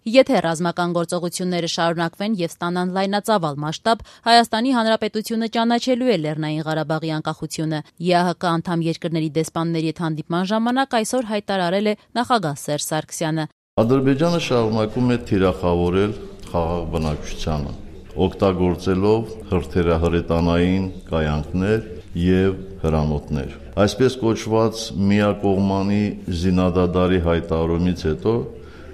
Եթե ռազմական գործողությունները շարունակվեն եւ ստանան լայնածավալ մասշտաբ, Հայաստանի Հանրապետությունը ճանաչելու է Լեռնային Ղարաբաղի անկախությունը։ ԵԱՀԿ անդամ երկրների դեսպանների հետ հանդիպման ժամանակ այսօր հայտարարել է նախագահ Սերժ Սարգսյանը։ Ադրբեջանը շարունակում է թիրախավորել խաղաղ բնակչությանը, օգտագործելով հրթիռահրետանային կայանքներ եւ հրանոթներ։ Այսպես կոչված միակողմանի զինադադարի հայտարարումից հետո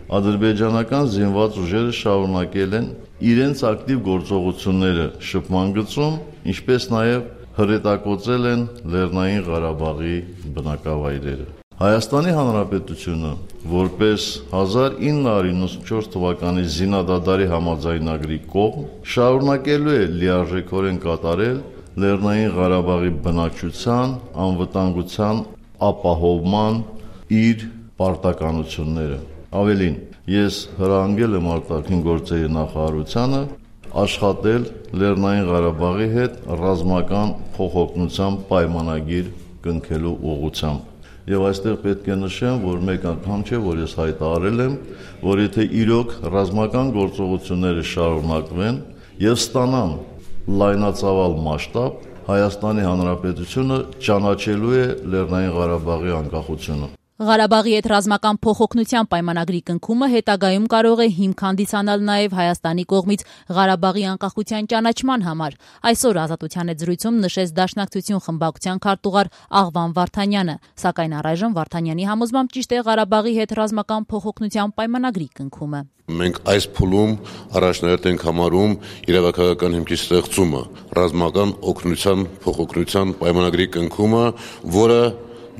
ադրբեջանական զինված ուժերը շարունակել են իրենց ակտիվ գործողությունները շփման գծում, ինչպես նաև հրետակոծել են Լեռնային Ղարաբաղի բնակավայրերը։ Հայաստանի Հանրապետությունը, որպես 1994 թվականի զինադադարի համաձայնագրի կողմ, շարունակելու է լիարժեքորեն կատարել Լեռնային Ղարաբաղի բնակչության անվտանգության ապահովման իր պարտականությունները։ Ավելին, ես հրահանգել եմ արտաքին գործերի նախարարությանը աշխատել Լեռնային Ղարաբաղի հետ ռազմական փոխօգնության պայմանագիր կնքելու ուղղությամբ։ Եվ այստեղ պետք է նշեմ, որ մեկ անգամ չէ, որ ես հայտարարել եմ, որ եթե իրոք ռազմական գործողությունները շարունակվեն եւ ստանան լայնածավալ մասշտաբ, Հայաստանի Հանրապետությունը ճանաչելու է Լեռնային Ղարաբաղի անկախությունը։ Ղարաբաղի հետ ռազմական փոխօգնության պայմանագրի կնքումը հետագայում կարող է հիմք հանդիսանալ նաև Հայաստանի կողմից Ղարաբաղի անկախության ճանաչման համար։ Այսօր Ազատության հետ զրույցում նշեց Դաշնակցություն խմբակցության քարտուղար Աղվան Վարդանյանը, սակայն առայժմ Վարդանյանի համոզմամբ ճիշտ է Ղարաբաղի հետ ռազմական փոխօգնության պայմանագրի կնքումը։ Մենք այս փուլում առաջնահերթ ենք համարում իրավական հիմքի ստեղծումը, ռազմական օգնության փոխօգնության պայմանագրի կնքումը, որը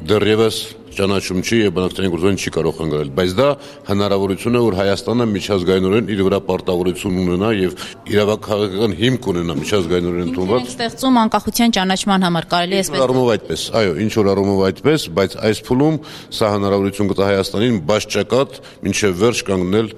դեռևս ճանաչում չի եւ բանակցային գործոն չի կարող հանգարել, բայց դա հնարավորություն է, որ Հայաստանը միջազգայինորեն իր վրա պարտավորություն ունենա եւ իրավական հիմք ունենա միջազգայինորեն ընդունված ստեղծում անկախության ճանաչման համար կարելի է այսպես առումով այդպես, այո, ինչ որ առումով այդպես, բայց այս փուլում սա հնարավորություն կտա Հայաստանին բաշխակատ մինչեւ վերջ կանգնել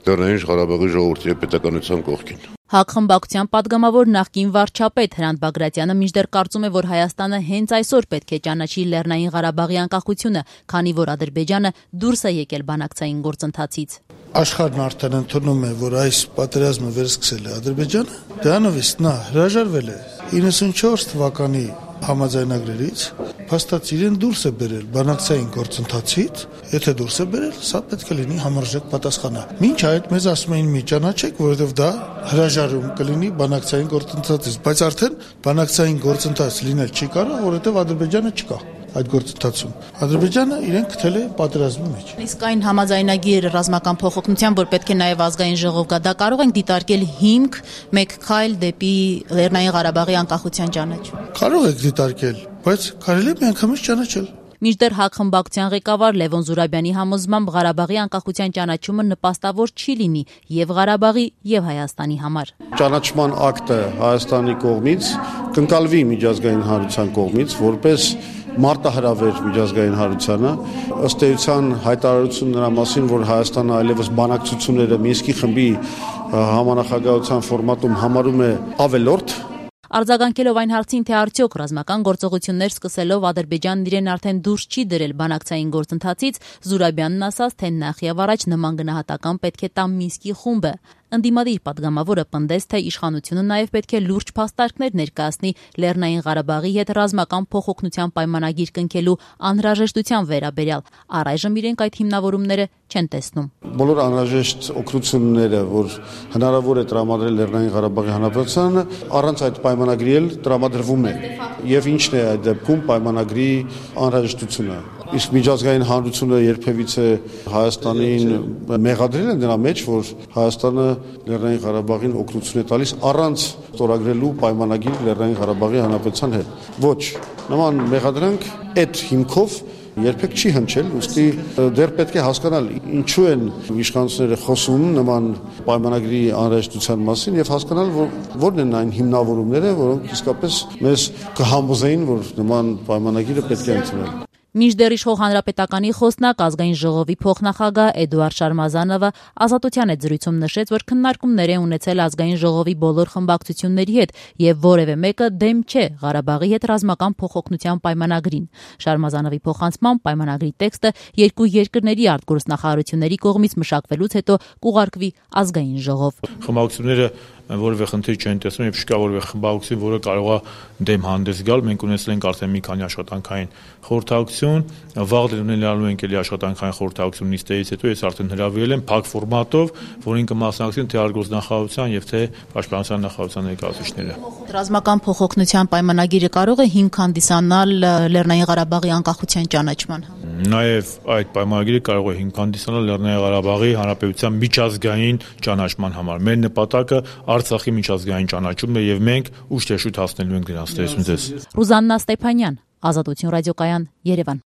Լեռնային Ղարաբաղի ժողովրդի եւ պետականության կողքին։ ՀԱԿ խմբակցության պատգամավոր նախկին վարչապետ Հրանտ Բագրատյանը մինչդեռ կարծում է, որ Հայաստանը հենց այսօր պետք է ճանաչի Լեռնային Ղարաբաղի անկախությունը, քանի որ Ադրբեջանը դուրս է եկել բանակցային գործընթացից։ Աշխարհն արդեն ընդունում է, որ այս պատերազմը վերսկսել է Ադրբեջանը, դրանովից նա հրաժարվել է 94 թվականի համաձայնագրերից, փաստացի իրեն դուրս է բերել բանակցային գործընթացից, եթե դուրս է բերել, սա պետք է լինի համարժեք պատասխանը։ Մինչ այդ մեզ ասում էին մի ճանաչեք, որովհետև դա հրաժարում կլինի բանակցային գործընթացից, բայց արդեն բանակցային գործընթաց լինել չի կարող, որովհետև Ադրբեջանը չկա այդ գործընթացում։ Ադրբեջանը իրեն գտել է պատերազմի մեջ։ Իսկ այն համաձայնագիր ռազմական փոխօգնության, որ պետք է նաև ազգային ժողով գա, դա կարող ենք դիտարկել հիմք մեկ քայլ դեպի Լեռնային Ղարաբաղի անկախության ճանաչում։ Կարող եք դիտարկել, բայց կարելի է միանգամից ճանաչել։ Մինչդեռ ՀԱԿ խմբակցության ղեկավար Լևոն Զուրաբյանի համոզմամբ Ղարաբաղի անկախության ճանաչումը նպաստավոր չի լինի եւ Ղարաբաղի եւ Հայաստանի համար։ Ճանաչման ակտը Հայաստանի կողմից կընկալվի միջազգային հանրության կողմից որպես մարտահրավեր միջազգային հանրությանը, ըստ էության հայտարարություն նրա մասին, որ Հայաստանը այլևս բանակցությունները Մինսկի խմբի համանախագահության ֆորմատում համարում է ավելորդ։ Արձագանքելով այն հարցին, թե արդյոք ռազմական գործողություններ սկսելով Ադրբեջանն իրեն արդեն դուրս չի դրել բանակցային գործընթացից, Զուրաբյանն ասաց, թե նախ եւ առաջ նման գնահատական պետք է տա Մինսկի խումբը։ Ընդդիմադիր պատգամավորը պնդեց, թե իշխանությունը նաև պետք է լուրջ փաստարկներ ներկայացնի Լեռնային Ղարաբաղի հետ ռազմական փոխօգնության պայմանագիր կնքելու անհրաժեշտության վերաբերյալ։ Առայժմ իրենք այդ հիմնավորումները չեն տեսնում։ Բոլոր անհրաժեշտ օգնությունները, որ հնարավոր է տրամադրել Լեռնային Ղարաբաղի Հանրապետությանը, առանց այդ պայմանագրի էլ տրամադրվում է։ Եվ ինչն է այդ դեպքում պայմանագրի անհրաժեշտությունը։ Իսկ միջազգային հանրությունը երբևիցե Հայաստանին մեղադրել է նրա մեջ, որ Հայաստանը Լեռնային Ղարաբաղին օգնություն է տալիս առանց ստորագրելու պայմանագիր Լեռնային Ղարաբաղի Հանրապետության հետ։ Ոչ, նման մեղադրանք այդ հիմքով երբեք չի հնչել, ուստի դեռ պետք է հասկանալ ինչու են իշխանությունները խոսում նման պայմանագրի անհրաժեշտության մասին եւ հասկանալ որն են այն հիմնավորումները, որոնք իսկապես մեզ կհամոզեին, որ նման պայմանագիրը պետք է ընդունել։ Մինչդեռ իշխող հանրապետականի խոսնակ ազգային ժողովի փոխնախագահ Էդուարդ Շարմազանովը Ազատության հետ զրույցում նշեց, որ քննարկումներ է ունեցել ազգային ժողովի բոլոր խմբակցությունների հետ եւ որևէ մեկը դեմ չէ Ղարաբաղի հետ ռազմական փոխօգնության պայմանագրին։ Շարմազանովի փոխանցմամբ պայմանագրի տեքստը երկու երկրների արտգործնախարարությունների կողմից մշակվելուց հետո կուղարկվի ազգային ժողով։ Խմբակցությունները որևէ խնդիր չեն տեսնում եւ չկա որևէ խմբակցություն, որը կարող է դեմ հանդես գալ։ Մենք ունեցել ենք արդեն մի քանի աշխատանքային խորհրդակցություն, վաղ ունենալու ենք էլի աշխատանքային խորհրդակցություն նիստերից հետո ես արդեն հրավիրել եմ փակ ֆորմատով, որին կմասնակցեն թե արտգործնախարարության եւ թե պաշտպանության նախարարության ներկայացուցիչները։ Ռազմական փոխօգնության պայմանագիրը կարող է հիմք հանդիսանալ Լեռնային Ղարաբաղի անկախության ճանաչման համար։ Նաև այդ պայմանագիրը կարող է հիմք հանդիսանալ Լեռնային Ղարաբաղի Հանրապետության միջազգային ճանաչման համար։ Մեր նպատակը Արցախի միջազգային ճանաչումն է եւ մենք ուշ թե շուտ հասնելու ենք դրանց տեսնու ձեզ։ Ռուզաննա Ստեփանյան, Ազատություն ռադիոկայան, Երևան։